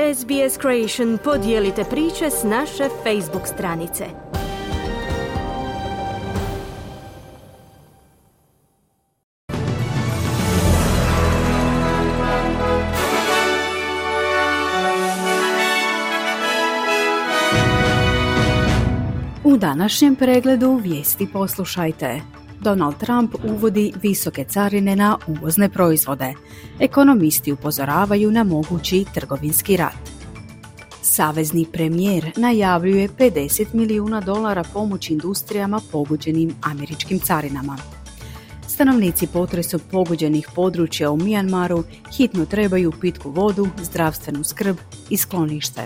SBS Creation podijelite priče s naše Facebook stranice. U današnjem pregledu vijesti poslušajte. Donald Trump uvodi visoke carine na uvozne proizvode. Ekonomisti upozoravaju na mogući trgovinski rat. Savezni premijer najavljuje $50 milijuna pomoći industrijama pogođenim američkim carinama. Stanovnici potresom pogođenih područja u Mijanmaru hitno trebaju pitku vodu, zdravstvenu skrb i sklonište.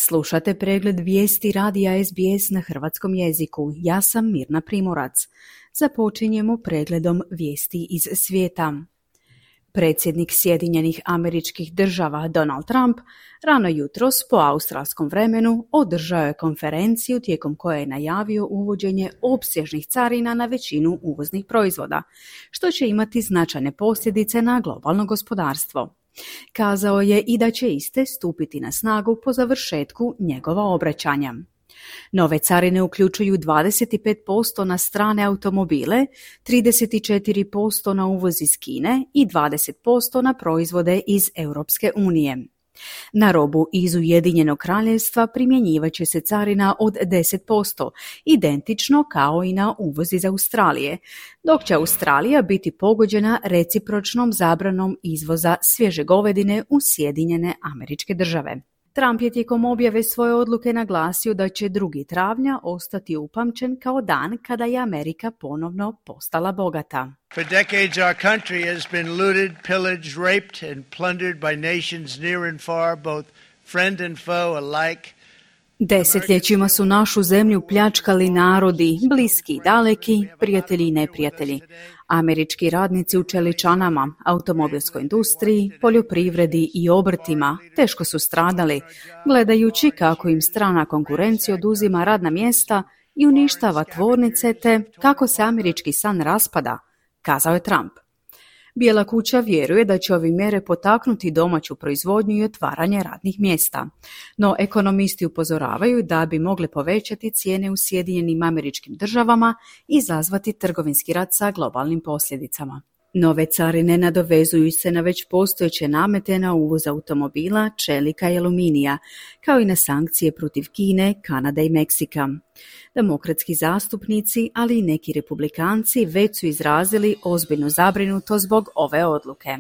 Slušate pregled vijesti radija SBS na hrvatskom jeziku. Ja sam Mirna Primorac. Započinjemo pregledom vijesti iz svijeta. Predsjednik Sjedinjenih Američkih Država Donald Trump rano jutros po australskom vremenu održao je konferenciju tijekom koje je najavio uvođenje opsežnih carina na većinu uvoznih proizvoda, što će imati značajne posljedice na globalno gospodarstvo. Kazao je i da će iste stupiti na snagu po završetku njegova obraćanja. Nove carine uključuju 25% na strane automobile, 34% na uvoz iz Kine i 20% na proizvode iz Europske unije. Na robu iz Ujedinjenog kraljevstva primjenjivat će se carina od 10%, identično kao i na uvoz iz Australije, dok će Australija biti pogođena recipročnom zabranom izvoza svježe govedine u Sjedinjene Američke Države. Trump je tijekom objave svoje odluke naglasio da će 2. travnja ostati upamćen kao dan kada je Amerika ponovno postala bogata. For decades our country has been looted, pillaged, raped and plundered by nations near and far, both friend and foe alike. Desetljećima su našu zemlju pljačkali narodi, bliski i daleki, prijatelji i neprijatelji. Američki radnici u čeličanama, automobilskoj industriji, poljoprivredi i obrtima teško su stradali, gledajući kako im strana konkurencija oduzima radna mjesta i uništava tvornice te kako se američki san raspada, kazao je Trump. Bijela kuća vjeruje da će ove mjere potaknuti domaću proizvodnju i otvaranje radnih mjesta. No ekonomisti upozoravaju da bi mogle povećati cijene u Sjedinjenim Američkim Državama i izazvati trgovinski rat sa globalnim posljedicama. Nove carine nadovezuju se na već postojeće namete na uvoz automobila, čelika i aluminija, kao i na sankcije protiv Kine, Kanade i Meksika. Demokratski zastupnici, ali i neki republikanci već su izrazili ozbiljnu zabrinutost zbog ove odluke.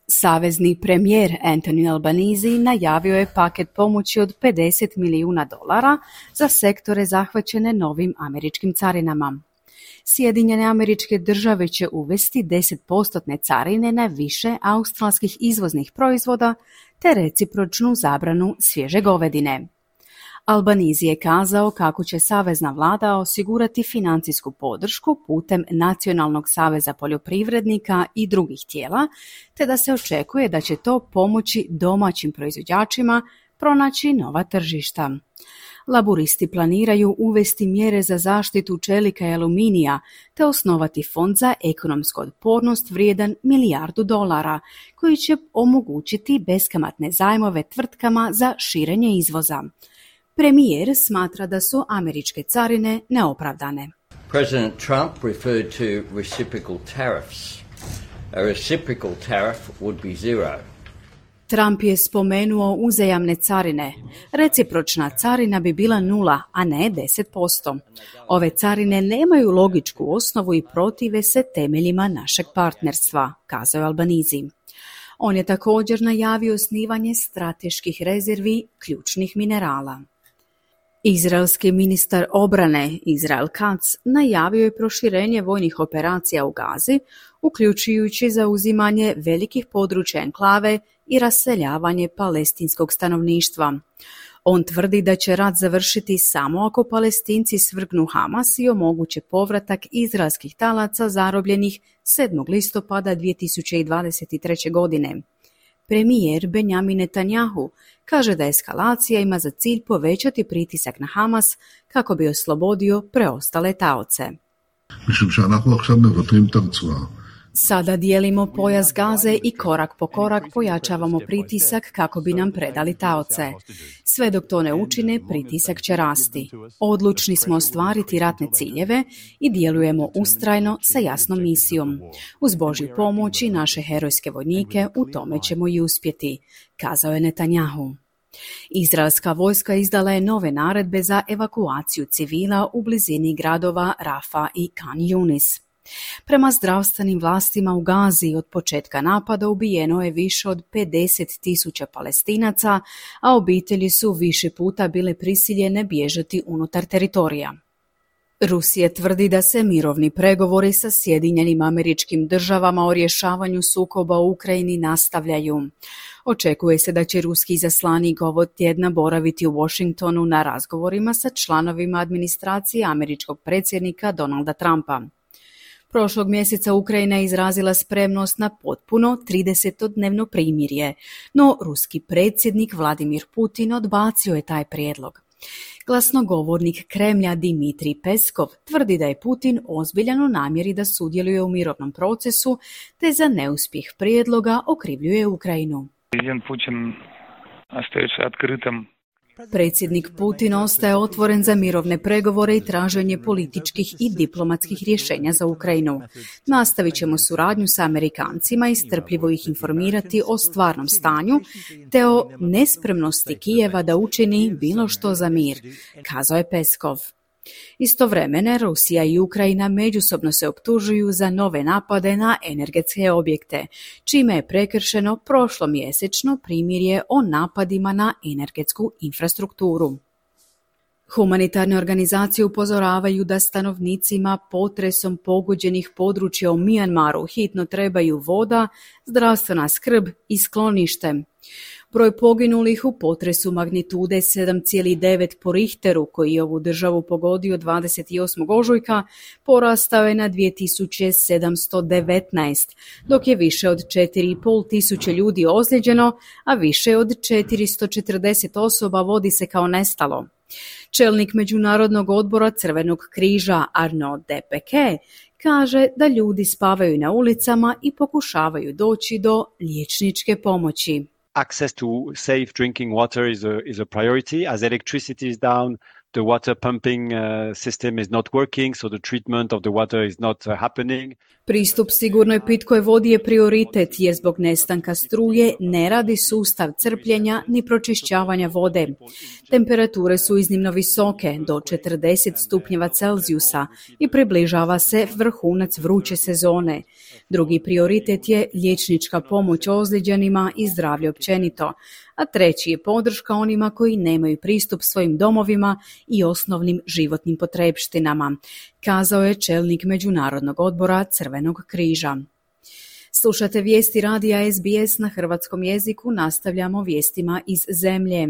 Savezni premijer Anthony Albanese najavio je paket pomoći od $50 milijuna za sektore zahvaćene novim američkim carinama. Sjedinjene Američke Države će uvesti 10% carine na više australskih izvoznih proizvoda te recipročnu zabranu svježe govedine. Albanese je kazao kako će savezna vlada osigurati financijsku podršku putem Nacionalnog saveza poljoprivrednika i drugih tijela, te da se očekuje da će to pomoći domaćim proizvođačima pronaći nova tržišta. Laburisti planiraju uvesti mjere za zaštitu čelika i aluminija te osnovati fond za ekonomsku otpornost vrijedan $1 milijardu, koji će omogućiti beskamatne zajmove tvrtkama za širenje izvoza. Premijer smatra da su američke carine neopravdane. President Trump referred to reciprocal tariffs. A reciprocal tariff would be zero. Trump je spomenuo uzajamne carine. Recipročna carina bi bila 0, a ne 10%. Ove carine nemaju logičku osnovu i protive se temeljima našeg partnerstva, kazao je Albanese. On je također najavio osnivanje strateških rezervi ključnih minerala. Izraelski ministar obrane Israel Katz najavio je proširenje vojnih operacija u Gazi, uključujući zauzimanje velikih područja enklave i raseljavanje palestinskog stanovništva. On tvrdi da će rat završiti samo ako Palestinci svrgnu Hamas i omoguće povratak izraelskih talaca zarobljenih 7. listopada 2023. godine. Premijer Benjamin Netanjahu kaže da eskalacija ima za cilj povećati pritisak na Hamas kako bi oslobodio preostale taoce. Sada dijelimo pojas Gaze i korak po korak pojačavamo pritisak kako bi nam predali taoce. Sve dok to ne učine, pritisak će rasti. Odlučni smo ostvariti ratne ciljeve i djelujemo ustrajno sa jasnom misijom. Uz Božju pomoć i naše herojske vojnike u tome ćemo i uspjeti, kazao je Netanjahu. Izraelska vojska izdala je nove naredbe za evakuaciju civila u blizini gradova Rafa i Khan Yunis. Prema zdravstvenim vlastima u Gazi od početka napada ubijeno je više od 50.000 Palestinaca, a obitelji su više puta bile prisiljene bježati unutar teritorija. Rusija tvrdi da se mirovni pregovori sa Sjedinjenim Američkim Državama o rješavanju sukoba u Ukrajini nastavljaju. Očekuje se da će ruski izaslanik ovog tjedna boraviti u Washingtonu na razgovorima sa članovima administracije američkog predsjednika Donalda Trumpa. Prošlog mjeseca Ukrajina je izrazila spremnost na potpuno 30-dnevno primirje, no ruski predsjednik Vladimir Putin odbacio je taj prijedlog. Glasnogovornik Kremlja Dmitrij Peskov tvrdi da je Putin ozbiljan u namjeri da sudjeluje u mirovnom procesu, te za neuspjeh prijedloga okrivljuje Ukrajinu. Predsjednik Putin ostaje otvoren za mirovne pregovore i traženje političkih i diplomatskih rješenja za Ukrajinu. Nastavit ćemo suradnju sa Amerikancima i strpljivo ih informirati o stvarnom stanju te o nespremnosti Kijeva da učini bilo što za mir, kazao je Peskov. Istovremeno, Rusija i Ukrajina međusobno se optužuju za nove napade na energetske objekte, čime je prekršeno prošlomjesečno primirje o napadima na energetsku infrastrukturu. Humanitarne organizacije upozoravaju da stanovnicima potresom pogođenih područja u Mijanmaru hitno trebaju voda, zdravstvena skrb i sklonište. Broj poginulih u potresu magnitude 7,9 po Richteru, koji je ovu državu pogodio 28. ožujka, porastao je na 2719, dok je više od 4,5 tisuće ljudi ozlijeđeno, a više od 440 osoba vodi se kao nestalo. Čelnik Međunarodnog odbora Crvenog križa Arnaud Depeke kaže da ljudi spavaju na ulicama i pokušavaju doći do liječničke pomoći. Access to safe drinking water is a priority. As electricity is down, the water pumping system is not working, so the treatment of the water is not happening. Pristup sigurnoj pitkoj vodi je prioritet jer zbog nestanka struje ne radi sustav crpljenja ni pročišćavanja vode. Temperature su iznimno visoke, do 40 stupnjeva Celzijusa i približava se vrhunac vruće sezone. Drugi prioritet je liječnička pomoć ozlijeđenima i zdravlje općenito, a treći je podrška onima koji nemaju pristup svojim domovima i osnovnim životnim potrepštinama, kazao je čelnik Međunarodnog odbora Crvenog križa. Slušate vijesti radija SBS na hrvatskom jeziku, nastavljamo vijestima iz zemlje.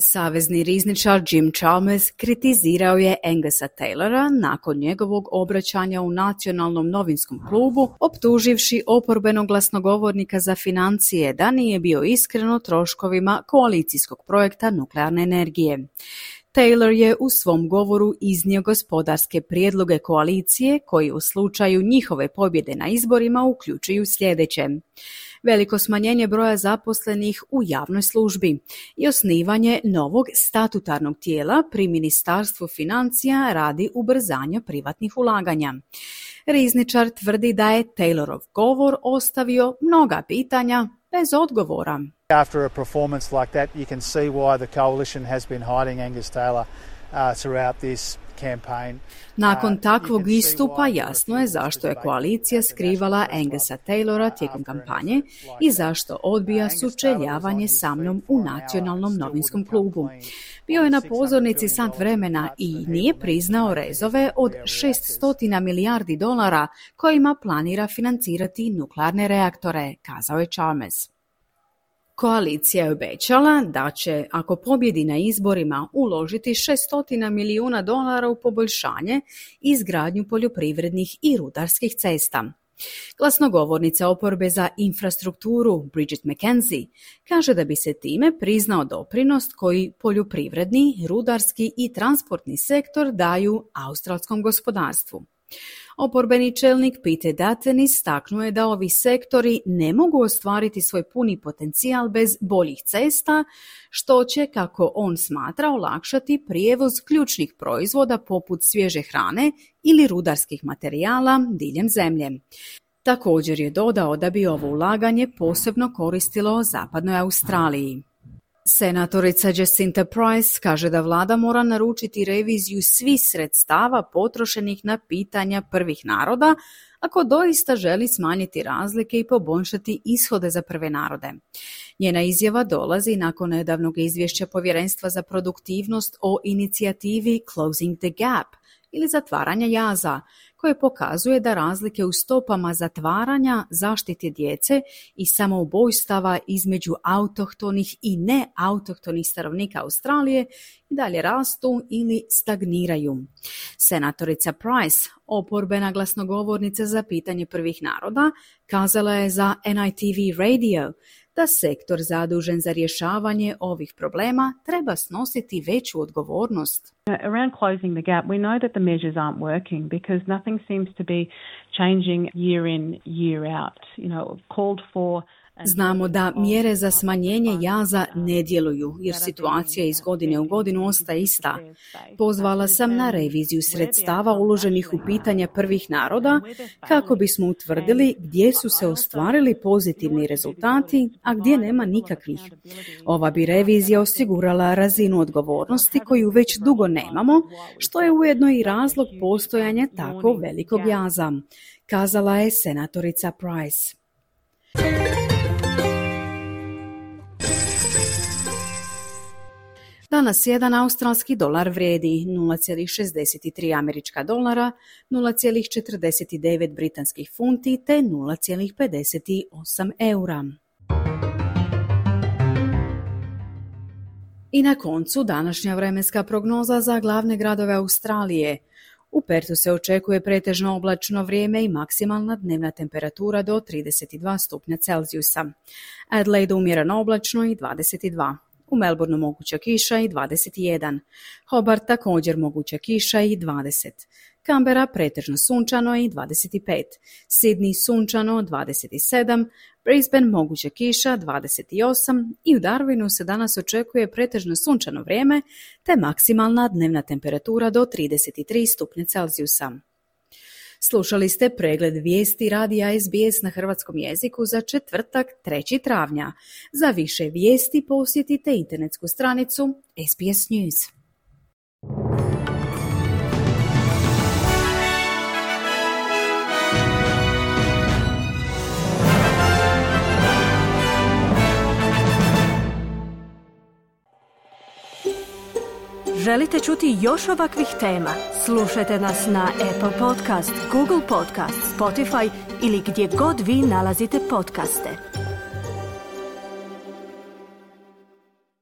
Savezni rizničar Jim Chalmers kritizirao je Angusa Taylora nakon njegovog obraćanja u Nacionalnom novinskom klubu, optuživši oporbenog glasnogovornika za financije da nije bio iskren o troškovima koalicijskog projekta nuklearne energije. Taylor je u svom govoru iznio gospodarske prijedloge koalicije koji u slučaju njihove pobjede na izborima uključuju sljedeće: veliko smanjenje broja zaposlenih u javnoj službi i osnivanje novog statutarnog tijela pri Ministarstvu financija radi ubrzanja privatnih ulaganja. Rizničar tvrdi da je Taylorov govor ostavio mnoga pitanja bez odgovora. After a performance like that, you can see why the coalition has been hiding Angus Taylor throughout this campaign. Nakon takvog istupa jasno je zašto je koalicija skrivala Angusa Taylora tijekom kampanje i zašto odbija sučeljavanje sa mnom u Nacionalnom novinskom klubu. Bio je na pozornici sat vremena i nije priznao rezove od $600 milijardi kojima planira financirati nuklearne reaktore, kazao je Chalmers. Koalicija je obećala da će, ako pobjedi na izborima, uložiti $600 milijuna u poboljšanje i izgradnju poljoprivrednih i rudarskih cesta. Glasnogovornica oporbe za infrastrukturu Bridget McKenzie kaže da bi se time priznao doprinos koji poljoprivredni, rudarski i transportni sektor daju australskom gospodarstvu. Oporbeni čelnik Peter Dutton istaknuo je da ovi sektori ne mogu ostvariti svoj puni potencijal bez boljih cesta, što će, kako on smatra, olakšati prijevoz ključnih proizvoda poput svježe hrane ili rudarskih materijala diljem zemlje. Također je dodao da bi ovo ulaganje posebno koristilo zapadnoj Australiji. Senatorica Jacinta Price kaže da vlada mora naručiti reviziju svih sredstava potrošenih na pitanja prvih naroda ako doista želi smanjiti razlike i poboljšati ishode za prve narode. Njena izjava dolazi nakon nedavnog izvješća Povjerenstva za produktivnost o inicijativi Closing the Gap ili zatvaranja jaza, koje pokazuje da razlike u stopama zatvaranja, zaštite djece i samoubojstava između autohtonih i neautohtonih stanovnika Australije i dalje rastu ili stagniraju. Senatorica Price, oporbena glasnogovornica za pitanje prvih naroda, kazala je za NITV Radio da sektor zadužen za rješavanje ovih problema treba snositi veću odgovornost. Around closing the gap, we know that the measures aren't working because nothing seems to be changing year in, year out. Called for. Znamo da mjere za smanjenje jaza ne djeluju, jer situacija iz godine u godinu ostaje ista. Pozvala sam na reviziju sredstava uloženih u pitanja prvih naroda kako bismo utvrdili gdje su se ostvarili pozitivni rezultati, a gdje nema nikakvih. Ova bi revizija osigurala razinu odgovornosti koju već dugo nemamo, što je ujedno i razlog postojanja tako velikog jaza, kazala je senatorica Price. Danas jedan australski dolar vrijedi 0,63 američka dolara, 0,49 britanskih funti te 0,58 eura. I na koncu današnja vremenska prognoza za glavne gradove Australije. U Perthu se očekuje pretežno oblačno vrijeme i maksimalna dnevna temperatura do 32 stupnja Celzijusa. Adelaide umjereno oblačno i 22. U Melbourneu moguća kiša i 21. Hobart također moguća kiša i 20. Canberra pretežno sunčano i 25. Sydney sunčano 27. Brisbane moguća kiša 28. I u Darwinu se danas očekuje pretežno sunčano vrijeme te maksimalna dnevna temperatura do 33 stupnja Celzijusa. Slušali ste pregled vijesti radija SBS na hrvatskom jeziku za četvrtak 3. travnja. Za više vijesti posjetite internetsku stranicu SBS News. Želite čuti još ovakvih tema? Slušajte nas na Apple Podcast, Google Podcast, Spotify ili gdje god vi nalazite podcaste.